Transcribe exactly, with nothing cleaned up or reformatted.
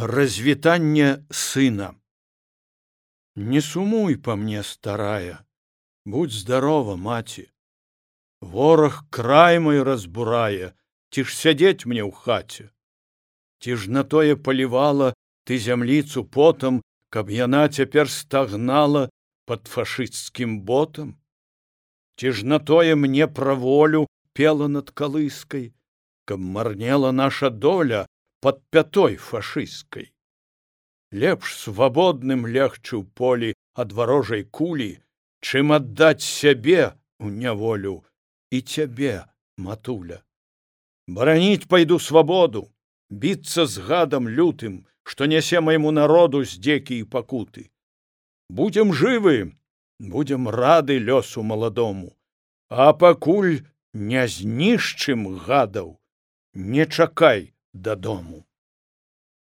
Развітанне сына. Не сумуй по мне, старая, будь здорова, маці. Вораг край мой разбурае, ці ж сядзець мне ў хаце. Ці ж на тое палівала ты зямліцу потам, каб яна цяпер стагнала пад фашысцкім ботам? Ці ж на тое мне пра волю пела над калыскай, каб марнела наша доля пад пятой фашысцкай? Лепш свабодным легчы ў полі ад варожай кулі, чым аддаць сябе ў няволю і цябе, матуля. Бараніць пайду свабоду, біцца з гадам лютым, што нясе майму народу здзекі і пакуты. Будзем жывы, будзем рады лёсу маладому, а пакуль не знішчым гадаў, не чакай дадому.